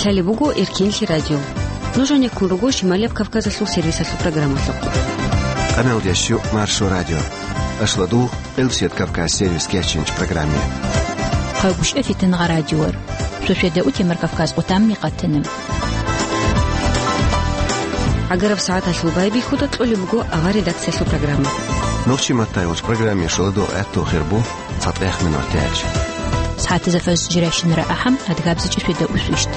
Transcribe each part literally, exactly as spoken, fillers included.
Лъалеб буго Эркенлъи радио. Нуж гьанеккун руго Шималияб Кавказалъул сервисалъул программалъухъ. Къаналдеш щу Маршо радио. Ашладул Элсет Кавказ сервис кечинч программе. Хъагушев Фитнагъа радиор. Суседа утемар Кавказ къутамми къатана. Агараб сагӀаталъул байбихьуда кьолеб буго авар редакциялъул программа. Нухчи Маттайович программе шуладу гӀатту хирбу. ЦатӀехъ минут тяч. СагӀатазда фаз жирайщинара ахӀам, адгабзичӀи светда усвищт.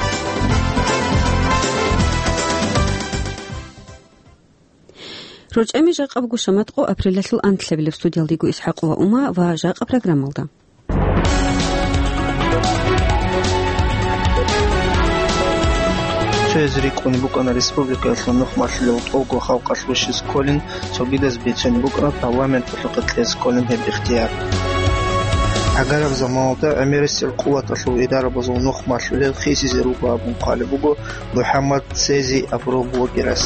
РорчӀами жакъа буго шаматкъо апрелалъул анлъабилеб. Студиялдего ИсхӀакъова Ума ва жакъа программалда. Цояз рикӀкӀунеб букӀана республикаялъул нухмалъулел тӀолго халкъалъ вищиз кколин, цогидаз бицунеб букӀана парламенталъухъе кьез кколин гьеб ихтияр. Гьагараб заманалда гӀемерисел къуваталъул идарабазул нухмалъулел хисизе руго абун хъвалеб буго МухӀаммад Сези Абураблогерас.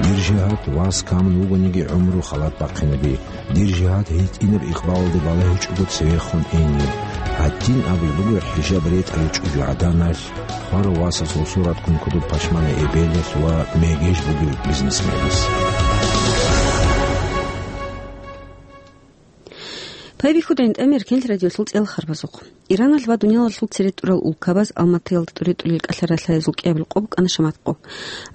Дир жигьад вас камун вугониги гӀумру халат бахъинаби. Дир жигьад гьитӀинаб икъбалалде балагьичӀого цевехун ине. Гьадин абулеб буго хӀижаб ретӀаричӀого гӀаданалъ, хварав васасул суратгун кодоб пашмана эбелалъ ва мегеж бугев бизнесменас. Пайбихьуда гӀинтӀамер кел радиолъул цӀел харбазухъ. Иранал ва дуниялалъул цере тӀурал улкабаз Алматаялда тӀуре-тӀулел кӀалъаралъаязул кӀиабил къо букӀана шаматкъо.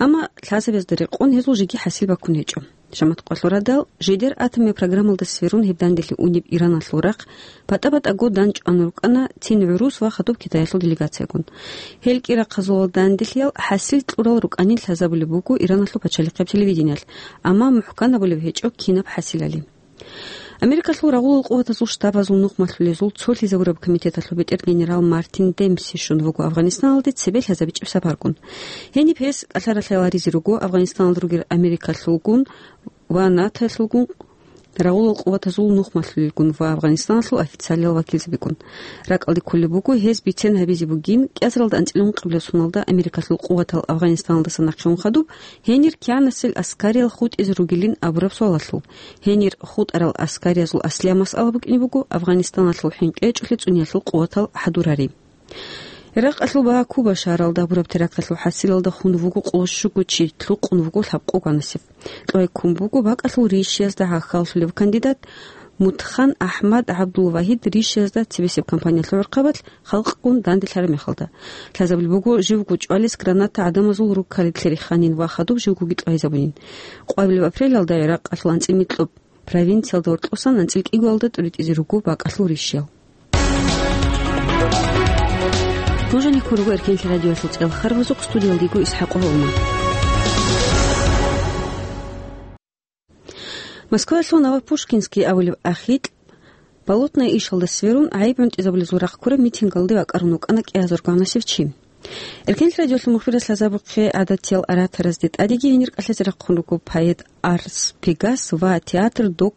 Амма лъазабазда рекъон гьезул жеги хӀасил баккун гьечӀо. Шаматкъоялъул радал, жидер атомиял программалда сверун гьеб данделъи унеб Ираналъул рахъ батӀа-батӀаго данчӀван рукӀана цин гӀурус ва хадуб Китаялъул делегациягун. Гьел кӀирахъазул данделъиял хӀасил кьурал рукӀанин лъазабулеб буго Ираналъул пачалихъеб телевидениялъ, амма мухӀкан абулеб гьечӀо кинаб хӀасилали. Америкалъул рагъулал къуватазул штабазул нухмалъулезул цолъизабураб комитеталъул бетӀер генерал Мартин Демпси щун вуго Афганистаналде цебе лъазабичӀеб сапаргун. Гьениб гьес кӀалъаралъаяларизе руго Афганистаналда ругел Америкалъулгун ва НАТОялъулгун, рагъулал къуватазул нухмалъулелгун ва Афганистаналъул официалиял вакилзабигун. РакӀалде кколеб буго гьез бицен гьабизе бугин, кӀиазаралда анцӀила ункъабилеб соналда Америкалъул къуватал Афганистаналдаса нахъе ун хадуб, гьенир кигӀанасел аскариял хутӀизе ругилин абураб суалалъул. Гьенир хутӀарал аскариязул аслияб масъала букӀине буго Афганистаналъул хӀинкъичӀолъи цӀуниялъул къуватал хӀадурари. Иракъалъул Баакуба шагьаралда гьабураб теракталъул хӀасилалда хун вуго къоло щуго чи, лъукъун вуго лъабкъо гванасеб. Кьвай ккун буго бакӀалъул ришиязда гӀахьаллъулев кандидат Мутхан Ахмад ГӀабдулвагьид ришиязда цебесеб кампаниялъул гӀурхъабалъ халкъгун данделъараб мехалда. Лъазабулеб буго живго чӀвалес граната гӀадамазул руккалилъе риханин ва хадуб живгоги тӀвайзабунин. Къвабилеб апрелалда Иракъалъул анцӀила нилъер провинциялда гьоркьосан анцӀила кӀиго тӀуритӀизе руго бакӀалъул ришиял. Нуж гьанеккун руго Эркенлъи радиоялъул цӀел харбазухъ, студиялда йиго ИсхӀакъова Ума. Москваялъул Новопушкинский абулеб ахикь Болотное ишалда сверун, гӀайиб гӀунтӀизабулезул рахъ ккураб митингалде вакӀарун вукӀана кӀиазарго гьанасев чи. Эркенлъи радиолъул мухбирас лъазабухъе гӀадатиял ораторазде тӀадеги гьенир кӀалъазе рахъун руго поэт Арс Пегас ва театр Док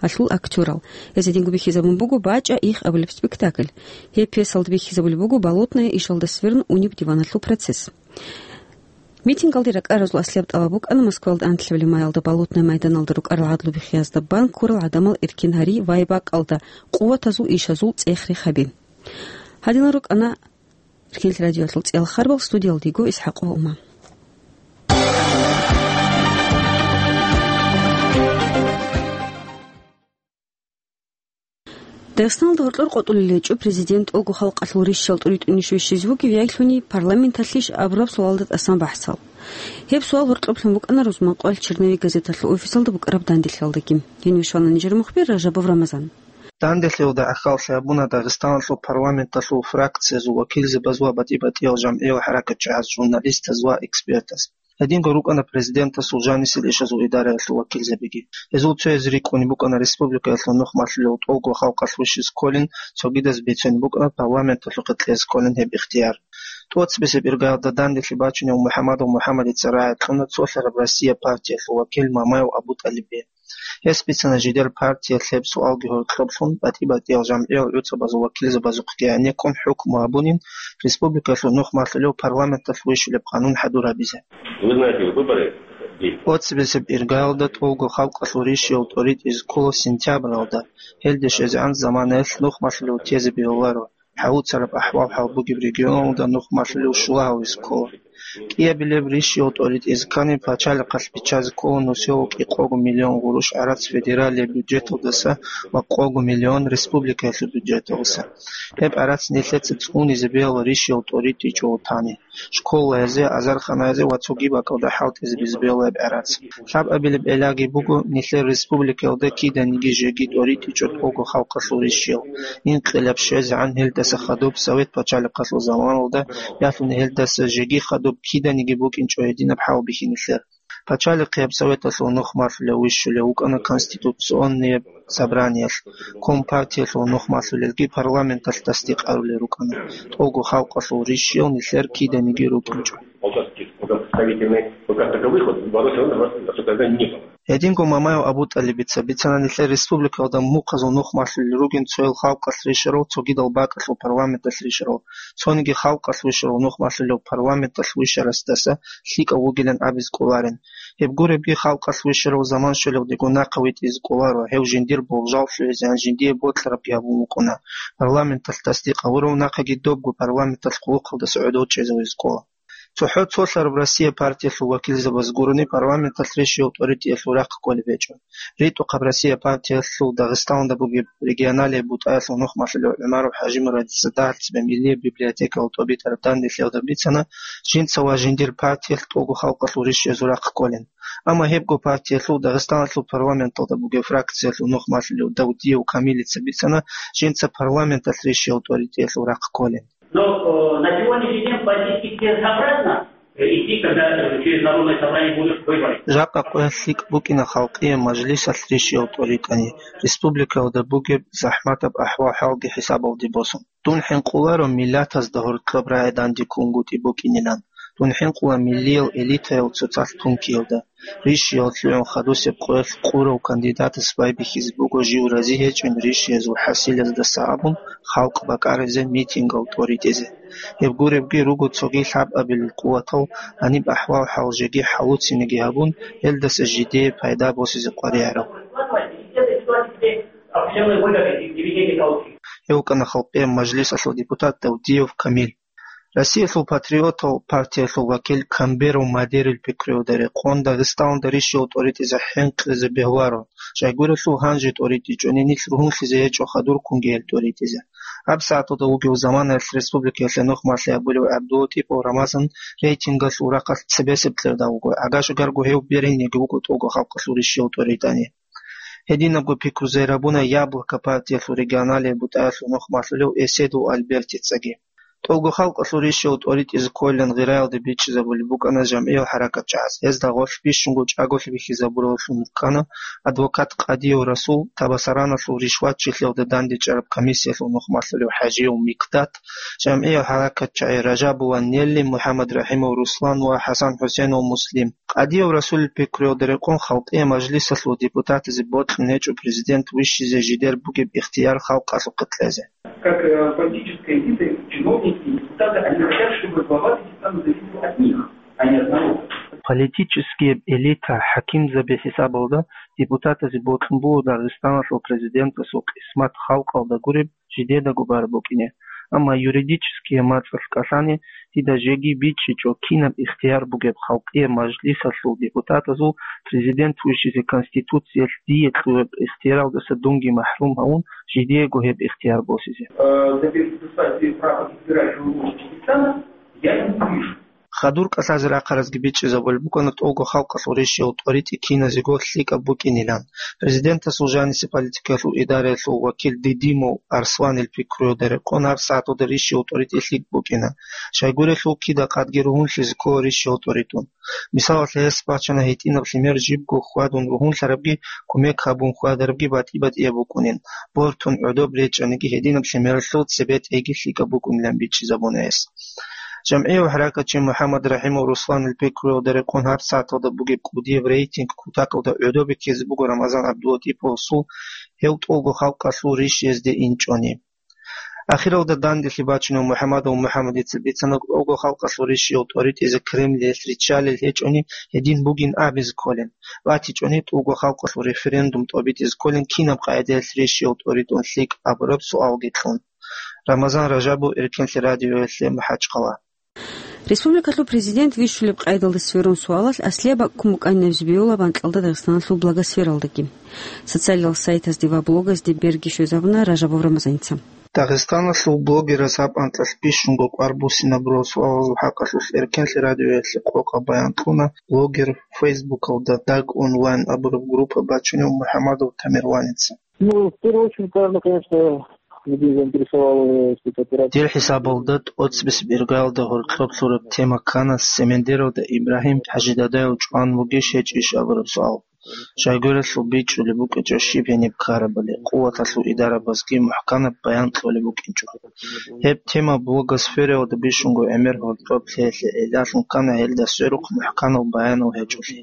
гьалъул актёрал. Гьез гьединго бихьизабун буго «БачӀа их» абулеб спектакль. Гьеб пьесалда бихьизабулеб буго Болотное ишалда сверун унеб диваналъул процесс. Митингалде ракӀаразул аслияб тӀалаб букӀана Москвалда анлъабилеб майалда Болотное майданалда рукӀарал гӀадлу бихъиязда бан ккурал гӀадамал эркин гьари ва гьеб бакӀалда къуватазул ишазул цӀех-рех гьаби. Гьадинал рукӀана Эркенлъи радиоялъул цӀел харбал, студиялда йиго ИсхӀакъова Ума. Дагъистаналда гьоркьор къотӀулел гьечӀо президент тӀолго халкъалъул ришал тӀуритӀунищ вищизе вугев яйлъуни, парламенталъищ абураб суалда тӀасан бахӀсал. Гьеб суал гьоркьоблъун букӀана рузманкъоялъ «Черновик» газеталъул офисалда букӀараб данделъиялдаги. Гьенив щвана нижер мухбир Ражабов Рамазан. Данделъиялда гӀахьаллъи гьабуна Дагъистаналъул парламенталъул фракциязул вакилзабаз ва батӀи-батӀиял жамгӀиял хӀаракатчагӀаз, журналистаз ва экспертаз. Гьединго рукӀана президентасул жанисел ишазул идараялъул вакилзабиги. Гьезул цояз рикӀкӀунеб букӀана республикаялъул нухмалъулел тӀолго халкъалъ вищизе кколин, цогидаз бицунеб букӀана парламенталъухъе кьезе кколин гьеб ихтияр. ТӀоцебесеб иргаялда данделъи бачунев МухӀаммадов МухӀаммадица рагӀи кьуна цолъараб «Россия» партиялъул вакил Мамаев АбутӀалибе. Гьес бицана жидер партиялъ гьеб суалги гьоркьоблъун, батӀи-батӀиял жамгӀиял гӀуцӀабазул вакилзабазухъги гӀенеккун хӀукму гьабунин республикалъул нухмалъулев парламенталъ вищулеб къанун хӀадур гьабизе. Вы знаете, выборы. ТӀоцебесеб иргаялда тӀолго халкъалъул ришиял тӀоритӀизе ккола сентябралда, гьелде щвезегӀан заманаялъ нухмалъулев тезе бегьуларо. хӀалуцараб ахӀвал-хӀал бугеб регионалда нух малъулев щула гьавизе ккола. КӀиабилеб ришияв тӀоритӀизе ккани, пачалихъалъ биччазе ккола нусиялъул кӀикъого миллион гъурущ гӀарац федералияб бюджеталдаса ва къого миллион республикаялъул бюджеталдаса. Гьеб гӀарац нилъеца цӀунизе бегьула ришияв тӀоритӀичӀого тани. Школаялъе, азарханаялъе ва цоги бакӀалда хӀалтӀизе бегьула гьеб гӀарац. Лъабабилеб гӀиллаги буго, нилъер республикаялда киданиги жеги тӀоритӀичӀо тӀолго халкъалъул ришиял. Инкъилаб щвезегӀан гьелдаса хадуб Совет пачалихъалъул заманалда, ялъуни гьелдаса жеги хадуб киданиги букӀинчӀо гьединаб хӀал бихьинилъер. Пачалихъияб Советалъул нух малъулев вищулев вукӀана Конституционнияб собраниялъ, Компартиялъул нух малъулелги парламенталъ тасдикъ гьарулел рукӀана, тӀолго халкъалъул ришиял нилъер киданиги рукӀинчӀо. Полтавские представительные, ну, как таковых, вот, в Барусе он у нас тогда не было. Гьединго Мамаев Абу-ТӀалибица бицана нилъер республикалда мухъазул нух малъулел ругин цоял халкъалъ ришарал цогидал бакӀалъул парламенталъ ришарал, цониги халкъалъ вишарал нух малъулев парламенталъ вишарасдаса лъикӀав вугилан абизе кӀоларин. Гьеб гуребги халкъалъ вишарав заман щвелалдего нахъа витӀизе кӀоларо, гьев жиндир болжал лъугӀизегӀан жиндие бокьарабги гьабун вукӀуна, парламенталъ тасдикъ гьавурав нахъаги добго парламенталъ хъулухъалдаса гӀодов чӀезавизе кӀола. ЦохӀо цолъараб Россия партиялъул вакилзабаз гурони парламенталъ ришияв тӀоритӀиялъул рахъ кколеб гьечӀо. РитӀухъаб Россия партиялъул Дагъистаналда бугеб регионалияб бутӀаялъул нух малъулев ГӀумаров ХӀажимурадица дагьалъ цебе Миллияб библиотекаялъ тӀобитӀараб данделъиялда бицана, жинца ва жиндир партиялъ тӀолго халкъалъул ришиязул рахъ кколин. Амма гьебго партиялъул Дагъистаналъул парламенталда бугеб фракциялъул нух малъулев Давдиев Камилица бицана, жинца парламенталъ ришияв тӀоритӀиялъул рахъ кколин. Но, э, на сегодняшний день политически целесообразно, э, идти, когда, э, через Народное собрание будут выборы. Жакъа къоялъ лъикӀ букӀина халкъие мажлисалъ ришияв тӀоритӀани, республикаялда бугеб захӀматаб ахӀвал-хӀалги хӀисабалде босун. Дун хӀинкъуларо миллатазда гьоркьоб рагӀи дандеккунгутӀи букӀинилан. Дун хӀинкъула миллиял элитаял цоцалъ тункиялда. Ришиял лъугӀун хадусеб къоялъ къурав кандидатас байбихьизе буго жив рази гьечӀин ришиязул хӀасилаздаса абун халкъ бакӀаризе митингал тӀоритӀизе. Гьеб гуребги руго цоги лъабабилел къуватал гьаниб ахӀвал-хӀал жеги хӀалуцинеги гьабун, гьелдаса жидее пайда босизе къваригӀараб. Гьев вукӀана халкъияб мажлисалъул депутат Давдиев Камил. Россиялъул патриотал партиялъул вакил Камберов Мадерил пикруялда рекъон Дагъистаналда ришияв тӀоритӀизе хӀинкъизе бегьуларо, щайгурелъул гьанже тӀоритӀичӀони нилъ ругьунлъизе гьечӀо хадурккунги гьел тӀоритӀизе. ГьабсагӀаталда вугев заманаялъ республикаялъе нух малъи абулев ГӀабдулатипов Рамазан рейтингалъул рахъалъ цебесеб кьерда вуго, гӀага-шагарго гьев беринеги вуго тӀолго халкъалъул ришияв тӀоритӀани. Гьединабго пикру зайрабуна «Яблоко» партиялъул регионалияб бутӀаялъул нух малъулев Эседов Альбертицаги. ТӀолго халкъалъул ришияв тӀоритӀизе кколилан гъираялде бичӀчӀизабулеб букӀана жамгӀиял хӀаракатчагӀаз. Гьезда гъорлъ бищунго чӀаголъи бихьизабураллъун рукӀана адвокат Къадиев Расул, Табасараналъул ришватчилъиялда дандечӀараб комиссиялъул нух малъулев ХӀажиев Микдат, жамгӀиял хӀаракатчагӀи Ражабова Нелли, МухӀаммад РахӀимов Руслан ва ХӀасан-ХӀусейнов Муслим. Къадиев Расулил пикруялда рекъон халкъие мажлисалъул депутатазе бокьун гьечӀо президент вищизе жидер бугеб ихтияр халкъалъухъе кьезе. Как, э, политическая элита, чиновники, депутаты, они хотят, чтобы глава Дагестана зависел от них, а не от народа. Политическияб элита, хӀакимзаби хӀисабалда депутатазе бокьун буго Дагъистаналъул президентасул къисмат халкъалда гуреб жидедаго бараб букӀине. Амма юридическияб мацӀалъ кӀалъани, дида жеги бичӀчӀичӀо, кинаб ихтияр бугеб халкъияб мажлисалъул депутатазул президент вищизе Конституциялъ дие кьураб ихтияралдаса дунги махӀрум гьавун, жидеего гьеб ихтияр босизе. Э, добиться, кстати, права избирать в Дагестане, я не вижу. Хадур кӀалъазе рахъаразги бичӀчӀизабулеб букӀана тӀолго халкъалъул ришиял тӀоритӀи киназего лъикӀаб букӀинилан. Президентасул жанисе политикаялъул идараялъул вакил Дидимов Арсланил пикруялда рекъон гьабсагӀаталда ришиял тӀоритӀи лъикӀ букӀина. Щайгурелъул кида къадги ругьунлъизе ккола ришиял тӀоритӀун. Мисалалъе, гьес бачана гьитӀинаб лъимер жибго хьвадун ругьунлъарабги, кумек гьабун хьвадарабги батӀи-батӀияб букӀунин, бортун гӀодоб речӀчӀаниги гьединаб лъимералъул цебе тӀейги лъикӀаб букӀунилан бичӀчӀизабуна гьес. ЖамгӀияв хӀаракатчи МухӀаммад РахӀимов Русланил пикруялда рекъон гьабсагӀаталда бугеб кӀудияб рейтинг кутакалда гӀодобе ккезе буго Рамазан ГӀабдулатиповасул гьев тӀолго халкъалъул ришиязде инчӀони. Ахиралда данделъи бачунев МухӀаммадов МухӀаммадица бицана тӀолго халкъалъул ришиял тӀоритӀизе Кремлиялъ риччалел гьечӀони гьедин бугин абизе кколин, батичӀони тӀолго халкъалъул референдум тӀобитӀизе кколин кинаб къагӀидаялъ ришиял тӀоритӀун лъикӀ абураб суалги кьун. Рамазан Ражабов, Эркенлъи радиоялъе, МахӀачхъала. Республикалъул президент вищулеб къайдалда сверун суалалъ аслияб бакӀ ккун букӀанин абизе бегьула анкьалда Дагъистаналъул блогосфералдаги. Социалал сайтазде ва блогазде берги щвезабуна Ражабов Рамазаница. Дагъистаналъул блогераз гьаб анкьалъ бищунго кӀвар буссинабурал суалазул хӀакъалъулъ Эркенлъи радиоялъе къокъаб баян кьуна блогер, Фейсбукалда Даг Онлайн абураб группа бачунев МухӀамадов Тамерланица. Ну, в первую очередь, наверное, конечно, людей заинтересовала, э, эта операция. Дир хӀисабалда, тӀоцебесеб иргаялда гьоркьоб лъураб тема ккана Семендералда Ибрагьим ХӀажидадаяв чӀван вугищ гьечӀищ абураб суал. Жагуралъул бичӀчӀулеб букӀинчӀо щиб гьениб ккарабали, къуваталъул идарабазги мухӀканаб баян кьолеб букӀинчӀо. Гьеб тема блогосфераялда бищунго гӀемер гьоркьоб лъеялъе гӀиллалъун ккана гьелда сверухъ мухӀканал баянал гьечӀолъи.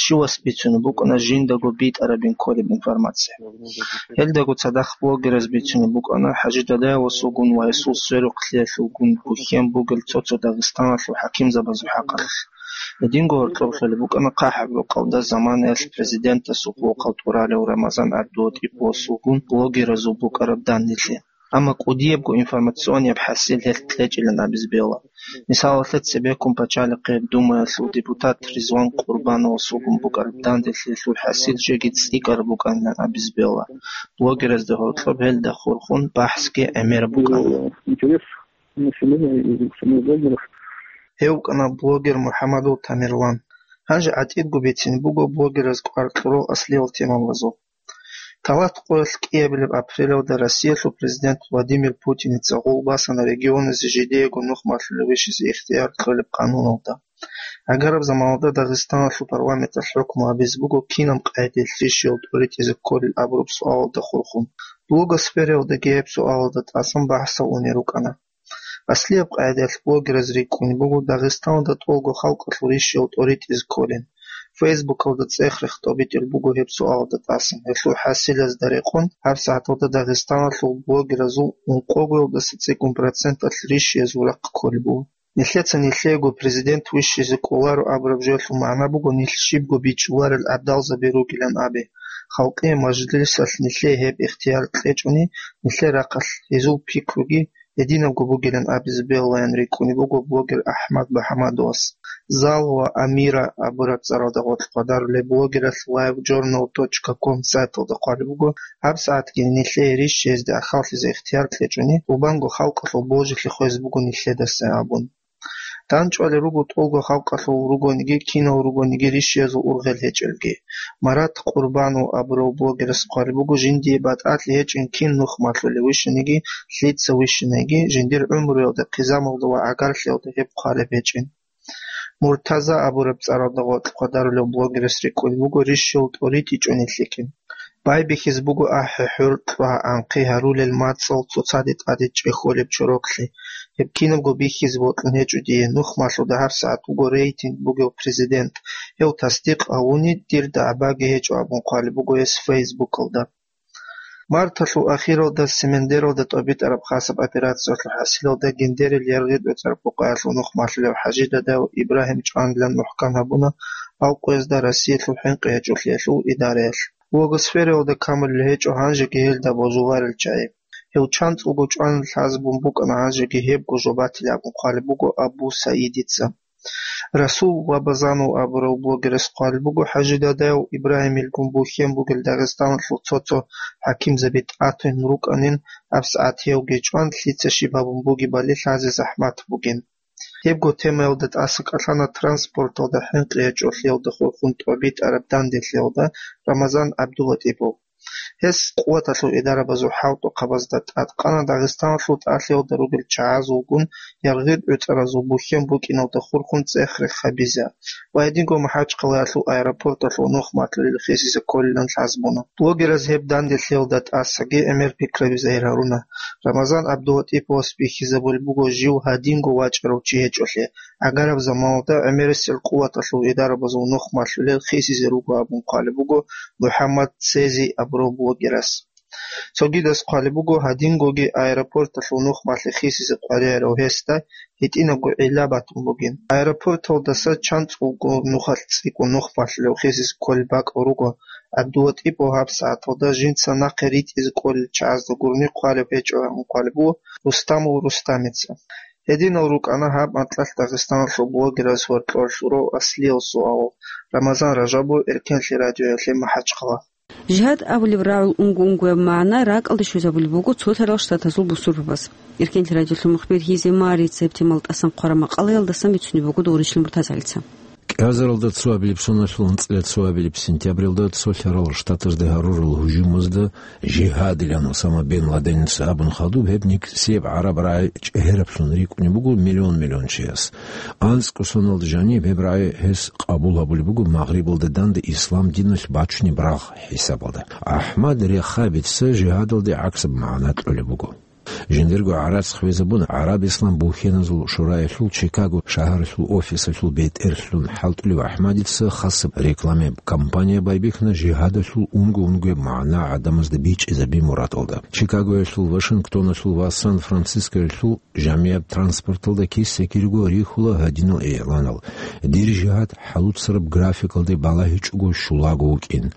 Щивас бицунеб букӀана жиндаго битӀарабин кколеб информация. Гьелдаго цадахъ блогераз бицунеб букӀана ХӀажидадаясулгун ва гьесул сверухълъиялъулгун бухьен бугел цо-цо Дагъистаналъул хӀакимзабазул хӀакъалъулъ. Гьединго гьоркьоб лъолеб букӀана ХъахӀаб рукъалда заманаялъ президентасул къокъал тӀуралев Рамазан ГӀабдулатӀиповасулгун блогеразул букӀараб данделъи. Амма кӀудиябго информационияб хӀасил гьелъ кьечӀилан абизе бегьула. Мисалалъе, цебеккун пачалихъе Думаялъул депутат Ризван Къурбановасулгун букӀараб данделъиялъул хӀасил жеги цӀикӀкӀараб букӀанилан абизе бегьула. Блогеразда гьоркьоб гьелда хурхун бахӀсги гӀемераб букӀана. Интерес населения и самих блогеров. Гьев вукӀана блогер МухӀамадов Тамерлан. Гьанже гӀатӀидго бицине буго блогераз кӀвар кьурал аслиял темабазул. Талат къоялъ кӀиабилеб апрелалда Россиялъул президент Владимир Путиница гъол басана регионазе жидеего нух малъулев вищизе ихтияр кьолеб къануналда. Гьагараб заманалда Дагъистаналъул парламенталъ хӀукму гьабизе буго кинаб къайдаялъ рищиялъ тӀоритӀизе кколел абураб суалалда хурхун. Блогосфераялдаги гьеб суалалда тӀасан бахӀсал унел рукӀана. Аслияб къайдаялъ блогераз рикӀкӀунеб буго Дагъистаналда тӀолго халкъалъул рищиялъ тӀоритӀизе кколин. Фейсбукалда цӀех-рех тӀобитӀулеб буго гьеб суалалда тӀасан. Гьелъул хӀасилазда рекъон, гьабсагӀаталда Дагъистаналъул блогеразул ункъогоялдаса цӀикӀкӀун проценталъ рищиязул рахъ кколеб буго. Нилъеца нилъеего президент вищизе кӀоларо абураб жоялъул магӀна буго нилъ щибго бичӀчӀуларел гӀадалзаби ругилан абе. Халкъиял мажлисалъ нилъее гьеб ихтияр кьечӀони, нилъер рахъалъ гьезул пикруги гьединабго бугилан абизе бегьулаян рикӀкӀунеб буго блогер АхӀмад Багьамадовас. Зал ва Амира абураб цӀаралда гъоркь хъвадарулеб блогералъ лайв журнал точка ком сайталда хъвалеб буго, гьабсагӀатги нилъее рищиязде ахӀаллъизе ихтияр кьечӀони, гьеб буго халкъалъул божилъи хвезе буго нилъедаса абун. ДандчӀвалел руго тӀолго халкъалъул ругониги, кинал ругониги рищиязул ургъел гьечӀелги. Марат Къурбанов абурав блогерас хъвалеб буго, жиндие батӀалъи гьечӀин кин нух малъулев вищаниги, лъица вищаниги, жиндир гӀумруялда, хъизамалда ва гӀагарлъиялда гьеб хъвалеб гьечӀин. Муртаза абураб цӀаралда гъоркь хъвадарулев блогерас рикӀкӀунеб буго рищиялъ тӀоритӀичӀони лъикӀин. Байбихьизе буго ахӀи-хӀур, кьва-анхъи гьарулел мацӀал цоцаде тӀаде чӀехьолеб чороклъи. Гьеб кинабго бихьизе бокьун гьечӀо дие, нух малъуда гьабсагӀат вуго рейтинг бугев президент. Гьев тасдикъ гьавуни, дир дагӀбаги гьечӀо абун хъвалеб буго гьес Фейсбукалда. Марталъул ахиралда Семендералда тӀобитӀараб хасаб операциялъул хӀасилалда гьиндерил яргъи бецӀараб къокъаялъул нух малъулев ХӀажидадав Ибрагьим чӀванилан мухӀкан гьабуна Алкъоязда Россиялъул хӀинкъи гьечӀолъиялъул идараялъ. Блогосфераялда камулел гьечӀо гьанжеги гьелда божуларел чагӀи. Гьев чанцӀулго чӀванилан лъазабун букӀана, гьанжеги гьебго жо батилеб абун хъвалеб буго Абу Саидица. Расул Лабазанов абурав блогерас хъвалеб буго, ХӀажидадаяв Ибрагьимилгун бухьен бугел Дагъистаналъул цо-цо хӀакимзаби тӀатун рукӀанин, гьабсагӀат гьевги чӀван, лъица щиб гьабун бугебали лъазе захӀмат бугин. Гьебго темаялда тӀаса кӀалъана транспорталда хӀинкъи гьечӀолъиялда хурхун тӀобитӀараб данделъиялда Рамазан ГӀабдулатӀипов. Гьес къуваталъул идарабазул хӀалтӀухъабазда тӀадкъана Дагъистаналъул тӀалъиялда ругел чагӀазулгун яргъи бецӀаразул бухьен букӀиналда хурхун цӀех-рех гьабизе ва гьединго МахӀачхъалаялъул аэропорталъул нух малъулел хисизе кколилан лъазабуна. Блогераз гьеб данделъиялда тӀасаги гӀемер пикраби загьир гьаруна. Рамазан ГӀабдулатӀиповас бихьизабулеб буго жив гьадинго вачӀарав чи гьечӀолъи, гӀагараб заманалда гӀемерисел къуваталъул идарабазул нух малъулел хисизе руго абун хъвалеб буго МухӀаммад Цези абурав блогерас. Цогидаз хъвалеб буго, гьадингоги аэропорталъул нух малъи хисизе къваригӀарав гьесда гьитӀинабго гӀилла батун бугин. Аэропорталдаса чанцӀулго нухалъ цӀикӀкӀун нух малъулев хисизе кколеб бакӀал руго, ГӀабдулатӀипов гьаб сагӀаталда жинца нахъе ритӀизе кӀолел чагӀазда гурони хъвалеб гьечӀо, гьанкъвалеб буго Рустамов Рустамица. Гьединал рукӀана гьаб анкьалъ Дагъистаналъул блогерас ва кьолъурав аслиял суал. Рамазан Ражабов, Эркенлъи радиоялъе, МахӀачхъала. Жигьад абулеб рагӀул унго-унгояб магӀна ракӀалде щвезабулеб буго Цолъарал Штатазул бусурбабаз. Эркенлъи радиолъул мухбир Гьизе Марица гьеб темал тӀасан хъвараб макъалаялдасан бицунеб буго Догъурищилан МуртазагӀилица. КӀиазаралда цоабилеб соналъул анцӀила цоабилеб сентябрилда Цолъарал Штатазде гьарурал гьужумазда жигьадилан Усама бен Ладеница абун хадуб гьеб никсияб гӀараб рагӀи чӀегьераблъун рикӀкӀунеб буго миллион-миллион чияс. АнцӀго соналда жаниб гьеб рагӀи гьес къабул гьабулеб буго Магърибалда данде ислам диналъ бачунеб рагъ хӀисабалда. АхӀмад Рехабица жигьадалде гӀаксаб магӀна кьолеб буго. Жиндирго гӀарац хвезабун, ГӀараб-Ислам бухьеназул шураялъул Чикаго шагьаралъул офисалъул бетӀерлъун хӀалтӀулев АхӀмадица хасаб рекламияб кампания байбихьана жигьадалъул унго-унгояб магӀна гӀадамазда бичӀчӀизаби мурадалда. Чикагоялъул, Вашингтоналъул ва Сан-Францискоялъул жамияб транспорталда киса-кирго рихьула гьадинал игӀланал: «Дир жигьад хӀалуцараб графикалде балагьичӀого щулаго вукӀин.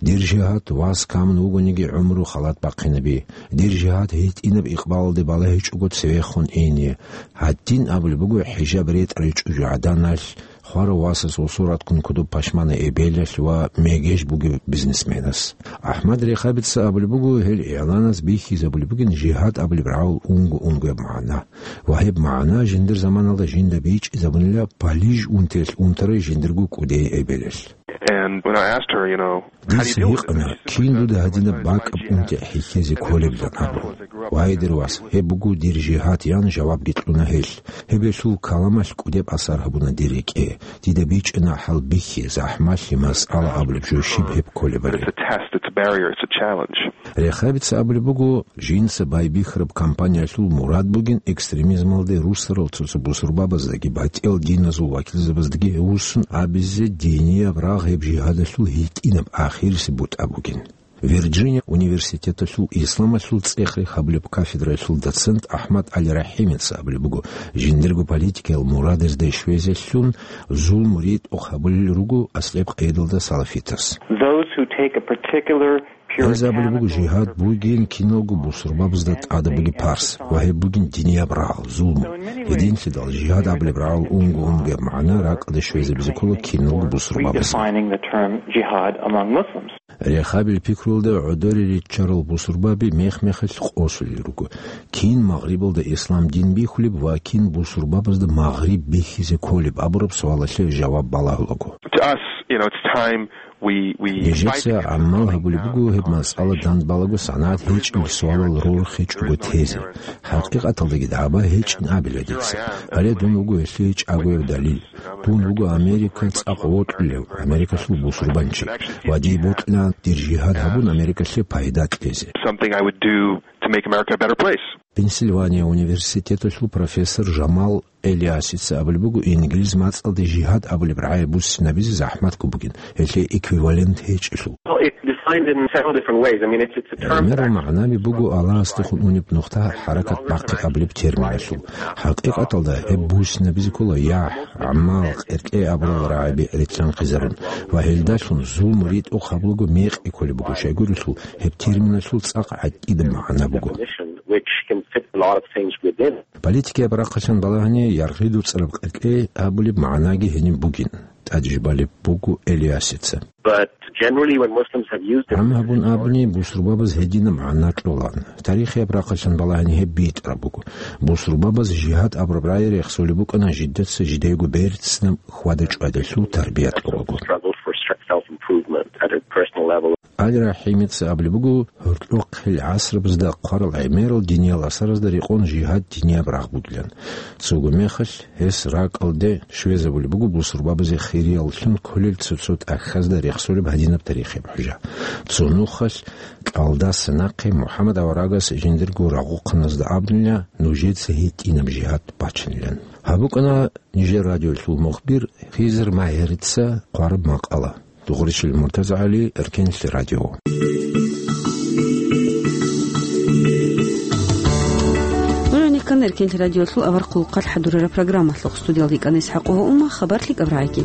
Дир жигьад вас камун вугониги гӀумру халат бахъинаби. Дир жигьад гьитӀинаб икъбалалде балагьичӀого цевехун ине». Гьадин абулеб буго хӀижаб ретӀарай чӀужугӀаданалъ, хварав васас гъусул раткун кодоб пашманай эбелалъ ва мегеж бугев бизнесменас. АхӀмад Рехабица абулеб буго, гьел игӀланаз бихьизабулеб бугин жигьад абулеб рагӀул унго-унгояб магӀна. Ва гьеб магӀна жиндир заманалда жинда бичӀчӀизабунила Палиж унтиялъ унтарай жиндирго кӀудияй эбелалъ. And when I asked her, you know, Дица гьикъана, кин дуда гьадинаб бакӀаб унти хӀехьезе кколебилан абун. «Вай, дир вас, гьеб буго дир жигьад», — ян жавабги кьуна гьелъ. Гьеб гьелъул каламалъ кӀудеб асар гьабуна дир рекӀее. Дида бичӀчӀана хӀалбихьи, захӀмалъи, масъала абулеб жо щиб гьеб кколебали. It's a test, it's a barrier, it's a challenge. Рехабица абулеб буго, жинца байбихьараб кампаниялъул мурад бугин экстремизмалде руссарал цо-цо бусурбабаздаги батӀиял диназул вакилзабаздаги гьевуссун абизе динияб рагъ гьеб жигьадалъул гьитӀинаб ахирисеб бутӀа бугин. Вирджиния университеталъул исламалъул цӀех рехабулеб кафедраялъул доцент АхӀмад ГӀали РахӀимица абулеб буго, жиндирго политикиял мурадазде щвезелъун зулму ритӀухъ гьабулел руго аслияб къайдалда салафитас. Those who take a particular Гьез абулеб буго, жигьад бугин киналго бусурбабазда тӀадаб бугеб парс ва гьеб бугин динияб рагъ, зулму. Гьединлъидал жигьад абулеб рагӀул унго-унгояб магӀна ракӀалде щвезабизе ккола киналго бусурбабазе. Redefining the term jihad among Muslims. Рехабил пикруялда гӀодоре риччарал бусурбаби мех-мехалъ къосулел руго. Кин Магърибалда ислам дин бихьулеб ва кин бусурбабазда Магъриб бихьизе кколеб абураб суалалъе жаваб балагьулаго. To us, you know, it's time we, we Нижеца гӀамал гьабулеб буго гьеб масъала дандбалаго санагӀат гьечӀеб суалал рорхичӀого тезе. ХӀакъикъаталдаги дагӀба гьечӀин абила дица. Гьале дун вуго гьелъие чӀагояб далил. Дун вуго Америка цӀакъ вокьулев, Америкалъул бусурбанчи. Ва дие бокьилаан дир жигьад гьабун Америкалъе пайда кьезе. Something I would do to make America a better place. Пенсильвания университеталъул профессор Жамал Элиасица абулеб буго, инглиз мацӀалде жигьад абулеб рагӀи буссинабизе захӀматго бугин, гьелъие эквивалент гьечӀелъул. Well, it's defined in several different ways. I mean, it's, it's a term. ГӀемерал магӀнаби буго Аллагьасдехун унеб нухда хӀаракат бахъи абулеб терминалъул. ХӀакъикъаталда гьеб буссинабизе ккола ягӀ, гӀамал, къеркӀей абурал рагӀаби рилълъанхъизарун ва гьелдалъун зулму ритӀухъ гьабулаго мекъи кколеб буго, щайгурелъул гьеб терминалъул цӀакъ гӀатӀидаб магӀна буго. Definition, which can fit a lot of things within. Политикияб рахъалъан балагьани, яргъи дуцӀараб къеркӀей абулеб магӀнаги гьениб бугин, тӀадежбалеб буго Элиасица. But generally, when Muslims have used it, ГӀам гьабун абуни, бусурбабаз гьединаб магӀна кьолан. Тарихияб рахъалъан балагьани гьеб битӀараб буго. Бусурбабаз жигьад абураб рагӀи рехсолеб букӀана жидеца жидейго берцинаб хьвада-чӀвадалъул тарбия кьолаго. Struggle for self-improvement at a personal level. Али РахӀимица абулеб буго, гьоркьохъел гӀасрабазда хъварал гӀемерал диниял асаразда рекъон жигьад динияб рагъ бугилан. Цого мехалъ гьес ракӀалде щвезабулеб буго бусурбабазе хирияллъун кколел цо-цо тӀахьазда рехсолеб гьадинаб тарихияб хӀужа. Цо нухалъ кӀалдаса нахъе МухӀаммад аварагас жиндирго рагъухъаназда абунила нужеца гьитӀинаб жигьад бачанилан. Гьаб букӀана нижер радиоялъул мухбир Хизр Магьарица хъвараб макъала. Дугъуришил МуртазагӀали, Эркенлъи радио. Нуж гьанихъан Эркенлъи радиолъул авар хъулухъалъ хӀадурараб программалъухъ, студиялда йикӀана ИсхӀакъова Ума, хабар лъикӀаб рагӀиги.